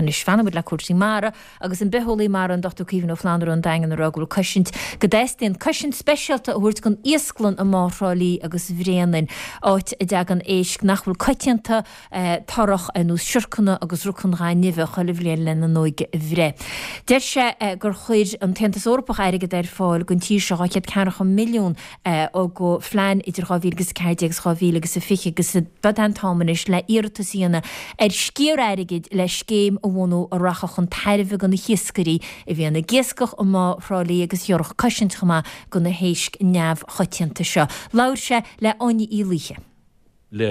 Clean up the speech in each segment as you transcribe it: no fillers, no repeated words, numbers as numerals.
Ach anois fanfaidh muid le cúrsaí mara agus an bitheolaí mara an Dr Caoimhín Ó Flannúra ón Daingean ag rá go bhfuil cosaint, go dteastaíonn cosaint speisialta a thabhairt don iasclann i mBá Thrá Lí agus Bhréanainn, áit a dtagann éisc nach bhfuil coitianta, torrach, ar nós siorcanna agus roc an ghainimh chuile bhliain lena n-óige a bhreith. Deir sé gur chuir an tAontas Eorpach airgead ar fáil don tír seo, 240 milliún, do phlean idir 2014 agus 2020 agus gurb é an t-am anois le iarratas a dhéanamh ar sciar airgid le scéim a bhunú a rachadh chun tairbhe do na hiascairí a bhíonn ag iascach i mBá Thrá Lí agus ghiorrfadh cosaint chomh maith do na héisc neamhchoitianta seo. Labhair sé le Áine Uí Laoithe. Le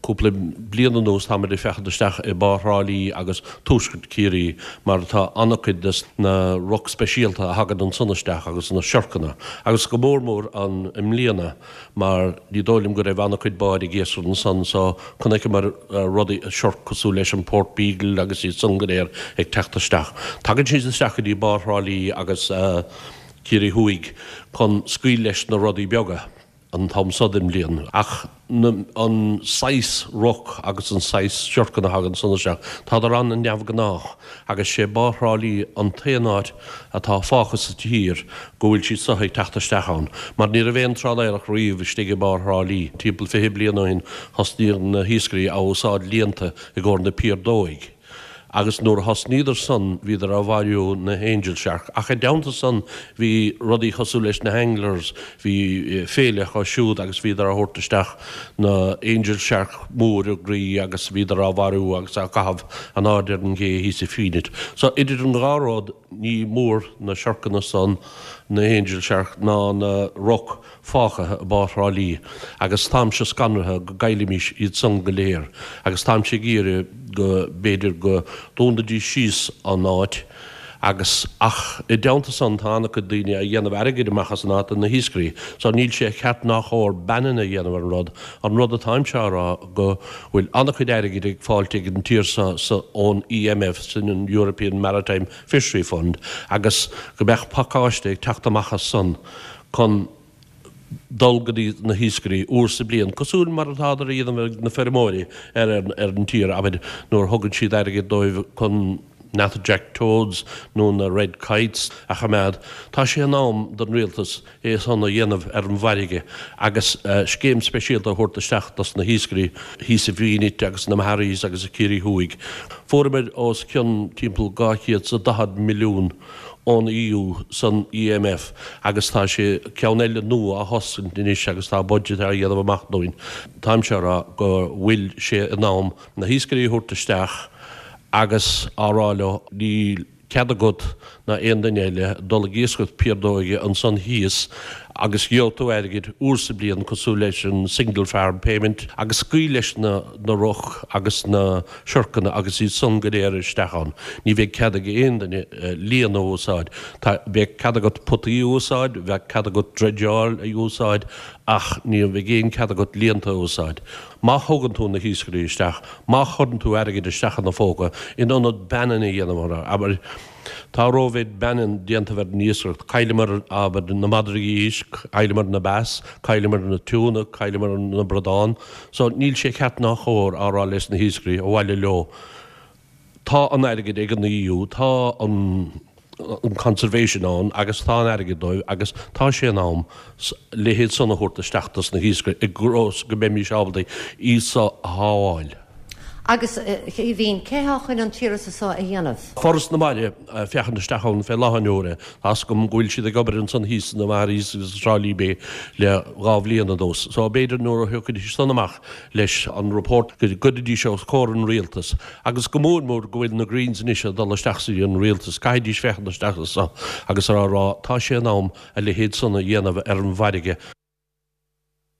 cúpla bliain anuas táimid ag féachaint isteach i Bá Thrá Lí agus Tuaisceart Chiarraí mar tá an-chuid des na roc speisialta a thagann ansan isteach agus na siorcanna agus go mór mór an i mbliana mar ní dóigh liom go raibh an-chuid báid ag iascaireacht ansan so chonaiceamar rudaí siorc cosúil leis an Port Beagle agus iad san go léir ag teacht isteach. Tagann siad isteach go dtí Bá Thrá Lí agus Ciarraí Thuaidh chun scaoil leis na rudaí beaga. an t-am so den bhliain. Ach an saghas roc agus an saghas siorcanna a thagann san isteach, tádar an-neamhghnách agus sé Bá Thrá Lí an t-aon áit atá fágtha sa tír go bhfuil siad so ag teacht isteach ann. Mar ní raibh aon trálaeireacht riamh istigh i mBá Thrá Lí. Timpeall 20 bliain ó shin thosnaíodh na hiascairí a úsáid líonta i gcomhair na piardóig. Agus nuair a thosnaíodar san bhíodar á mharú na angel shark. Ach i dteannta san bhí rudaí cosúil leis na anglers, bhí féile acu siúd agus bhíodar á thabhairt isteach na angel shark mór i gcroí agus bhíodar á mharú agus á gcaitheamh in airde ar an gcé thíos i Fenit. So idir an dhá rud ní mór na siorcanna san, na angel shark ná na roc, fágtha i mBá Thrá Lí agus táimse scanraithe go gcaillfimís iad san go léir agus táimse ag iarraidh go b'fhéidir go dúnfaidís síos an áit agus ach i dteannta san tá an-chuid daoine a dhéanamh airgid amach as an áit na hiascairí so níl sé ceart ná chóir banning a dhéanamh ar an rud an rud atáimse á rá go bhfuil an-chuid airgid ag fáilt ag an tír so so ón EMF sin an European Maritime Fishery Fund agus go mbeadh pacáiste ag teacht amach as san chun dul go dtí na hiascairí uair sa bliain, cosúil mar atádar a dhéanamh ag na feirmeoirí ar ar an tír, abair, nuair a thugann siad airgead dóibh chun natterjack toads nó na red kites a choimeád. Tá sé in am don rialtas é san a dhéanamh ar an bhfarraige agus scéim speisialta a thabhairt isteach dos na hiascairí thíos i bhFenit agus na Maharees agus i Ciarraí Thuaidh. Fuaireamar os cionn timpeall 240 milliún ón EU san EMF agus tá sé ceann eile nua á thoscaint anois agus tá budget á dhéanamh amach dúinn. Táimse á rá go bhfuil sé in am na hiascairí a thabhairt isteach agus á rá leo níl cead agat ná aon duine eile dul ag iascaireacht piardóige ansan thíos agus gheobhaidh tú airgead uair sa bliain cosúil leis an single farm payment agus scaoil leis na na roc agus na siorcanna agus iad san go léir isteach ann. Ní bheidh cead ag aon duine líon a úsáid. Tá, bheadh cead agat potaí a úsáid, bheadh cead agat dredgeáil a úsáid ach ní bheidh aon cead agat líonta a úsáid. Má thugann tú na hiascairí isteach, má chuireann tú airgead isteach ina phóca, in ionad banning a dhéanamh orthu, abair, tá rómhéid banning déanta ar an iascaireacht, cailleamar, abair, na madraí éisc, cailleamar na bass, cailleamar na tuna, cailleamar na bradán, So níl sé ceart ná chóir á rá leis na hiascairí, abhaile leo. Tá an airgead ag an EU, tá an an conservation ann agus tá an airgead dóibh agus tá sé in am a leithéid san a thabhairt isteach dos na hiascairí i gcás go mbeimís ábalta iad so a shábháil. Agus, a Chaoimhín, cé thá chun an t-iarratas so a dhéanamh? Foras na Mara ag féachaint isteach ann fé láthair na huaire. Tá's agam go bhfuil siad ag obair ansan thíos sna Maharees agus i dTrá Lí Bay le 2 bhliain anuas. So b'fhéidir nuair a thiocfaidís san amach leis an report go gcuirfidís os comhair an rialtas agus go mór mór go bhfuil na Greens anois ag dul isteach sa an rialtas, caithfidís féachaint isteach anso agus á rá tá sé in am a leithéid san a dhéanamh ar an bhfarraige.